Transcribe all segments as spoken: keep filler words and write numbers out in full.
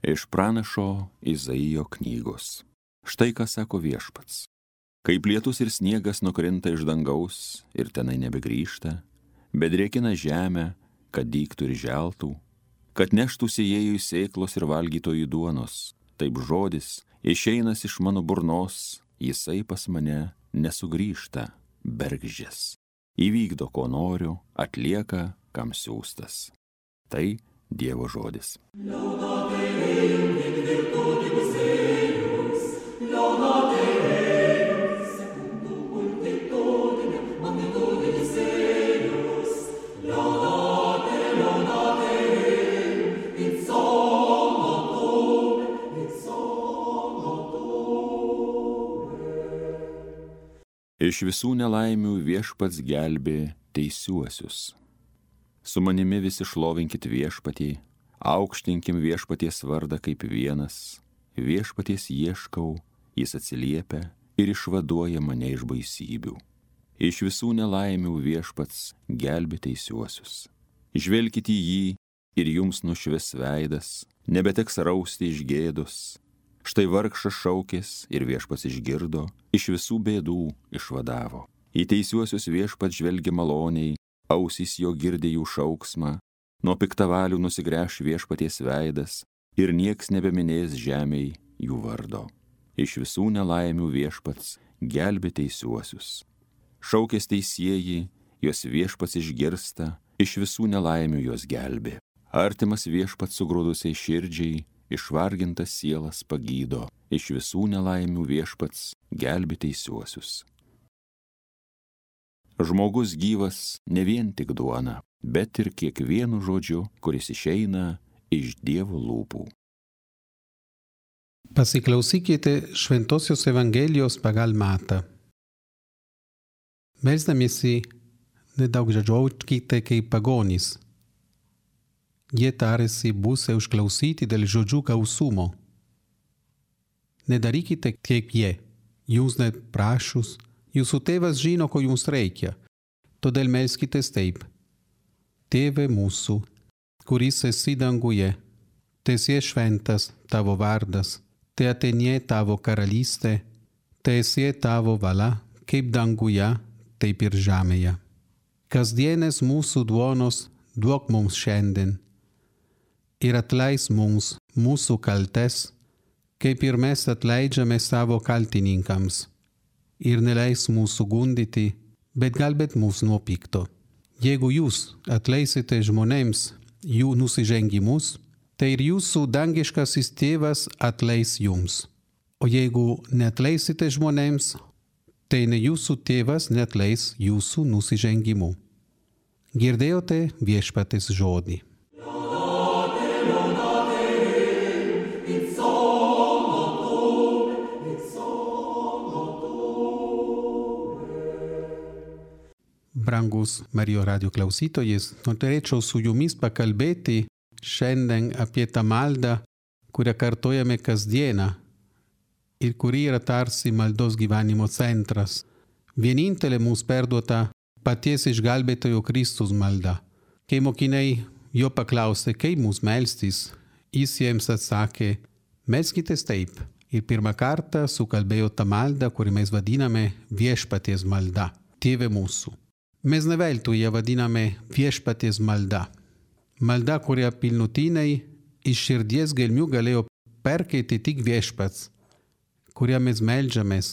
Iš pranašo Izaijo knygos. Štai ką sako Viešpats. Kaip lietus ir sniegas nukrinta iš dangaus ir tenai nebegrįžta, bet drėkina žemę, kad dygtų ir želtų, kad neštų sėjėjui sėklos ir valgytojui duonos, taip žodis išeinas iš mano burnos, jisai pas mane nesugrįžta, bergždžias. Įvykdo, ko noriu, atlieka, kam siųstas. Tai Dievo žodis. Iš visų nelaimių Viešpats gelbė teisiuosius. Su manimi visi šlovinkit Viešpatį, aukštinkim Viešpaties vardą kaip vienas. Viešpaties ieškau, jis atsiliepia ir išvaduoja mane iš baisybių. Iš visų nelaimių Viešpats gelbė teisiuosius. Žvelkite į jį ir jums nušvis veidas, nebeteks rausti iš gėdos. Štai vargšas šaukės ir Viešpats išgirdo, iš visų bėdų išvadavo. Į teisiuosius Viešpats žvelgia maloniai, ausys jo girdi jų šauksmą, nuo piktavalių nusigręš Viešpaties veidas ir nieks nebeminės žemėj jų vardo. Iš visų nelaimių Viešpats gelbė teisiuosius. Šaukės teisieji, jos Viešpats išgirsta, iš visų nelaimių jos gelbė. Artimas Viešpats sugrūdusiai širdžiai, išvargintas sielas pagydo, iš visų nelaimių Viešpats gelbė teisiuosius. Žmogus gyvas ne vien tik duona, bet ir kiekvienu žodžiu, kuris išeina iš Dievo lūpų. Pasiklausykite Šventosios Evangelijos pagal Matą. Melsdamiesi, nedaugžodžiaukite kaip pagonys. Jie tarėsi būsę užklausyti dėl žodžių gausumo. Nedarykite kaip jie, jūs net prašus, jūsų tėvas žino, ko jums reikia, todėl melskitės taip. Tėve mūsų, kuris esi danguje, teesie šventas tavo vardas, te ateinie tavo karalystė, teesie tavo valia, kaip danguje, taip ir žemėje. Kasdienės mūsų duonos duok mums šiandien. Ir atleis mums mūsų kaltes, kaip ir mes atleidžiame savo kaltininkams. Ir neleis mūsų gundyti, bet gelbėk mus nuo pikto. Jeigu jūs atleisite žmonėms jų nusižengimus, tai ir jūsų dangiškasis tėvas atleis jums. O jeigu neatleisite žmonėms, tai ne jūsų tėvas neatleis jūsų nusižengimų. Girdėjote Viešpaties žodį. Brangus Marijos radijo klausytojas, norėčiau su jumis pakalbėti šiandien apie tą maldą, kurią kartojame kasdieną ir kuri yra tarsi maldos gyvenimo centras. Vienintelė mums perduota paties išgelbėtojo Kristus malda. Kai mokiniai jo paklausė, kaip mums melstis, jis jiems atsakė, melskitės taip. Ir pirmą kartą sukalbėjo tą maldą, kurį mes vadiname Viešpaties malda, Tėve mūsų. Mes ne veltui ją vadiname Viešpaties malda. Malda, kurią pilnutiniai iš širdies gelmių galėjo perkeiti tik Viešpats, kurią mes meldžiamės,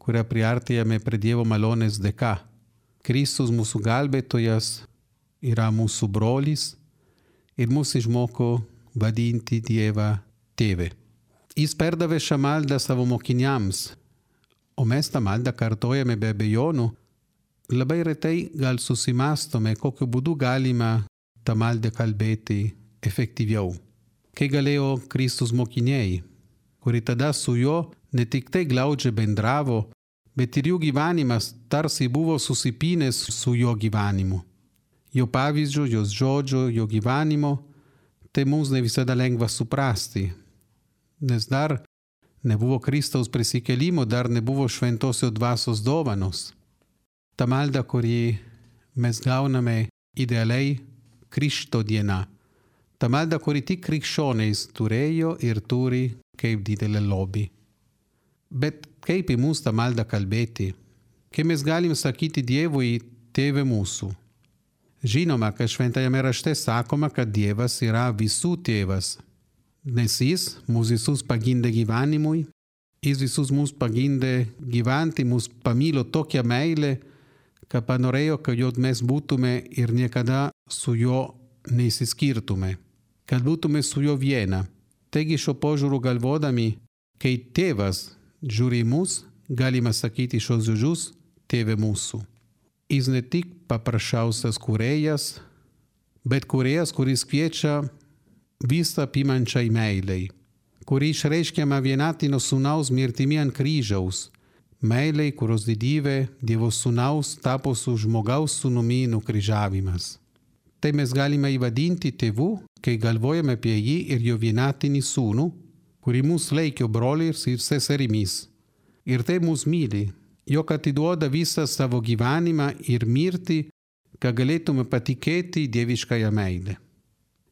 kurią priartėjame prie Dievo malonės dėka. Kristus mūsų gelbėtojas yra mūsų brolis ir mūsų išmoko vadinti Dievą Tėve. Jis perdavė šią maldą savo mokiniams, o mes tą maldą kartojame be abejonių. Labai retai gal susimastome, kokiu būdu galima tą maldą kalbėti efektyviau. Kai galėjo Kristus mokiniai, kuri tada su juo ne tik tai glaudžiai bendravo, bet ir jų gyvenimas tarsi buvo susipynęs su jo gyvenimu. Jo pavyzdžio, jos žodžio, jo gyvenimo, tai mums ne visada lengva suprasti, nes dar nebuvo Kristaus prisikėlimo, dar nebuvo šventosios dvasios dovanos. Ta malda, kurį mes gauname idealiai Krikšto diena, Ta malda, kuri tik krikščioniais turėjo ir turi kaip didelę lobį. Bet kaip į mus tą maldą kalbėti? Kaip mes galim sakyti Dievui, Tėve mūsų? Žinoma, kad šventajame rašte sakoma, kad Dievas yra visų tėvas, nes jis mus visus pagimdė gyvenimui, jis visus mus pagimdė gyventi, mus pamilo tokią meilę, kad panorėjo, kad jau mes būtume ir niekada su juo neįsiskirtume, kad būtume su juo viena. Taigi šio požiūriu galvodami, kai tėvas žiūri į mus, galima sakyti šios žodžius Tėve mūsų. Jis ne tik paprasčiausias kūrėjas, bet kūrėjas, kuris kviečia visą apimančiai meilei, kuri išreiškiama vienatino sūnaus mirtimi ant kryžiaus, meilei, kurios didybė Dievo sūnaus tapo su žmogaus sūnumi nukryžiavimas. Tai mes galime įvadinti tėvu, kai galvojame apie jį ir jo vienatinį sūnų, kurį mus laikė broliais ir seserimis. Ir tai mus myli, jog atiduoda visą savo gyvenimą ir mirtį, kad galėtume patikėti dieviškąją meilę.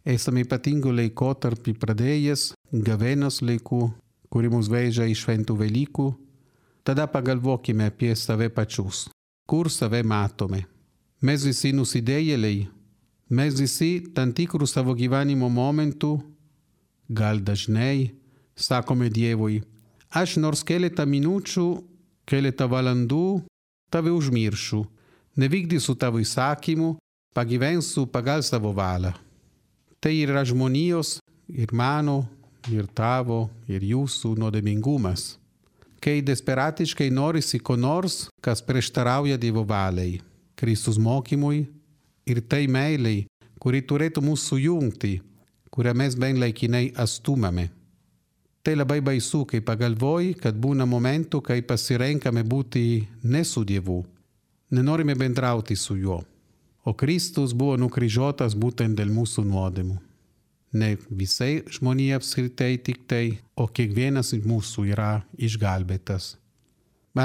Esame ypatingų laikotarpį pradėjęs, gavėnios laikų, kuri mus veža iš šventų Velykų. Tada pagalvokime apie save pačius, kur save matome. Mes visi nusidėjėliai, mes visi tam tikrų savo gyvenimo momentų, gal dažnai, sakome Dievui, aš nors keletą minučių, keletą valandų tave užmiršiu, nevykdysiu tavo įsakymų, pagyvensiu pagal savo valią. Tai yra žmonijos ir mano, ir tavo, ir jūsų nuodėmingumas. Kai desperatiškai norisi ko nors, kas prieštarauja Dievo valiai, Kristus mokymui ir tai meilei, kuri turėtų mus sujungti, kurią mes bent laikinai atstumame. Tai labai baisu, kai pagalvoji, kad būna momentų, kai pasirenkame būti ne su Dievu, nenorime bendrauti su juo. O Kristus buvo nukryžiuotas būtent dėl mūsų nuodėmų. Ne visai žmonija apskritai tik tai, o kiekvienas iš mūsų yra išgelbėtas.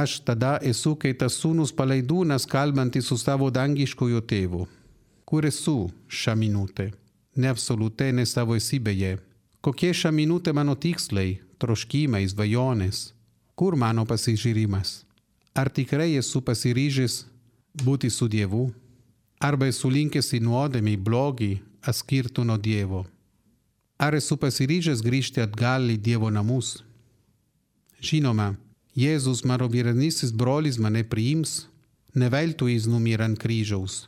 Aš tada esu kaip tas sūnus palaidūnas kalbantis su savo dangiškojo tėvu. Kur esu šią minutę? Ne absoliutai, ne savo esybėje. Kokie šią minutę mano tikslai, troškimai, svajonės? Kur mano pasižiūrimas? Ar tikrai esu pasiryžęs būti su Dievu? Arba esu linkęs į nuodėmę, į blogį, atskirtų nuo Dievo? Ar esu pasiryžęs grįžti atgal į Dievo namus? Žinoma, Jėzus, mano vyresnysis brolis, mane priims, ne veltui jis numirė ant kryžiaus.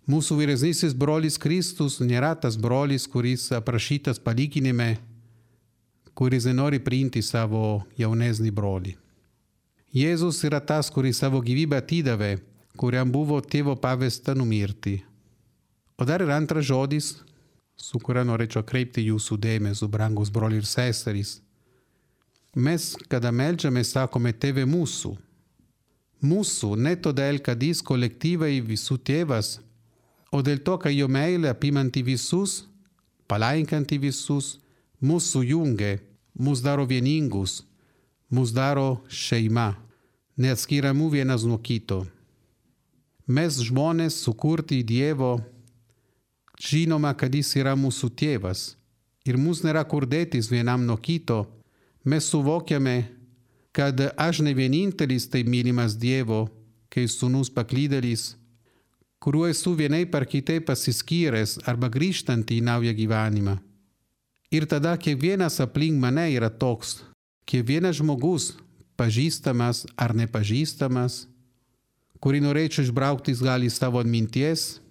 Mūsų vyresnysis brolis Kristus nėra tas brolis, kuris aprašytas palyginime, kuris nenori priimti savo jaunesnį brolį. Jėzus yra tas, kuris savo gyvybę atidavė, kuriam buvo tėvo pavesta numirti. O dar yra antras žodis, su kuria norėčiau kreipti jūsų dėmesį, brangus broliai ir seserys. Mes, kada meldžiame, sakome Tėve mūsų. Mūsų ne todėl, kad jis kolektyvai visų tėvas, o dėl to, kad jo meilė apimanti visus, palaikanti visus, mus sujungia, mus daro vieningus, mus daro šeima, neatskiriamų vienas nuo kito. Mes žmonės sukurti Dievo, žinoma, kad jis yra mūsų tėvas ir mus nėra kur dėtis vienam nuo kito. Mes suvokiame, kad aš ne vienintelis tai mylimas Dievo, kai sūnus paklydėlis, kuriuo esu vienai par kitaip pasiskyręs arba grįžtant į naują gyvenimą. Ir tada kiekvienas aplink mane yra toks, kiekvienas žmogus, pažįstamas ar nepažįstamas, kurį norėčiau išbraukti gal iš savo atminties,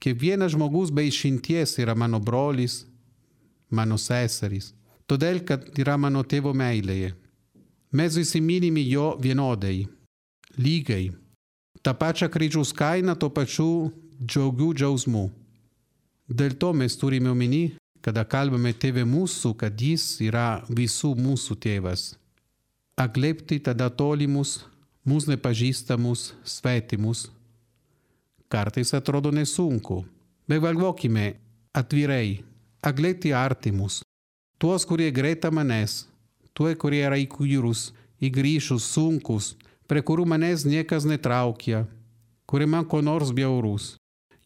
kiekvienas žmogus be išimties yra mano brolis, mano seserys, todėl, kad yra mano tėvo meilėje. Mes visi mylime jo vienodai, lygiai. Ta pačia kryžiaus kaina, to pačiu džiaugių džiausmų. Dėl to mes turime omeny, kada kalbame Tėve mūsų, kad jis yra visų mūsų tėvas. Atliepti tada tolimus, mūsų nepažįstamus, svetimus. Kartais atrodo nesunku, bet galvokime atvirai, atliepti artimus, tuos, kurie greta manęs, tuos, kurie yra įkyrūs, įgrįžus, sunkus, prie kurių manęs niekas netraukia, kurie man ko nors bjaurus.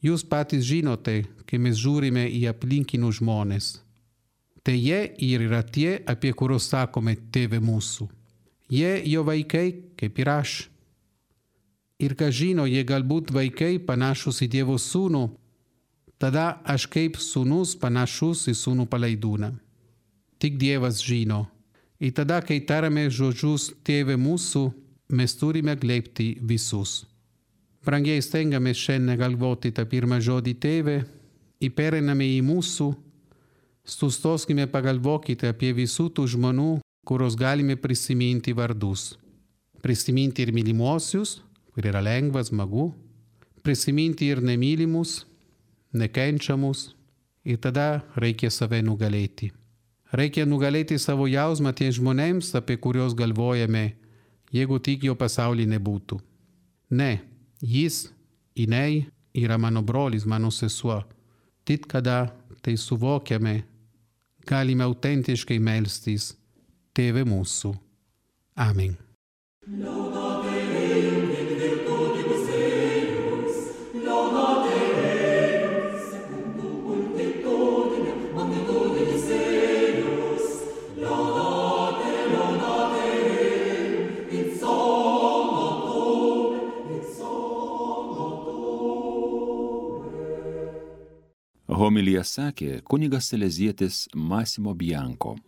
Jūs patys žinote, kai mes žiūrime į aplinkinius žmonės. Tai jie ir yra tie, apie kuriuos sakome tėve mūsų. Jie jo vaikai, kaip ir aš. Ir ką žino, jie galbūt vaikai panašus į Dievo sūnų, tada aš kaip sūnus panašus į sūnų palaidūną. Tik Dievas žino. Ir tada, kai tarame žodžius tėve mūsų, mes turime glėbti visus. Brangiai stengiamės šiandien galvoti tą pirmą žodį tėve, ir pereiname į mūsų, sustoskime pagalvokite apie visų tų žmonių, kurios galime prisiminti vardus. Prisiminti ir mylimuosius, kur yra lengva, smagu, prisiminti ir nemylimus, nekenčiamus, ir tada reikia save nugalėti. Reikia nugalėti savo jausmą tiems žmonėms, apie kuriuos galvojame, jeigu tik jo pasaulį nebūtų. Ne, jis, jinai yra mano brolis, mano sesuo. Tik kada tai suvokiame, galime autentiškai melstis Tėve mūsų. Amen. Homiliją sakė kunigas salezietis Massimo Bianco.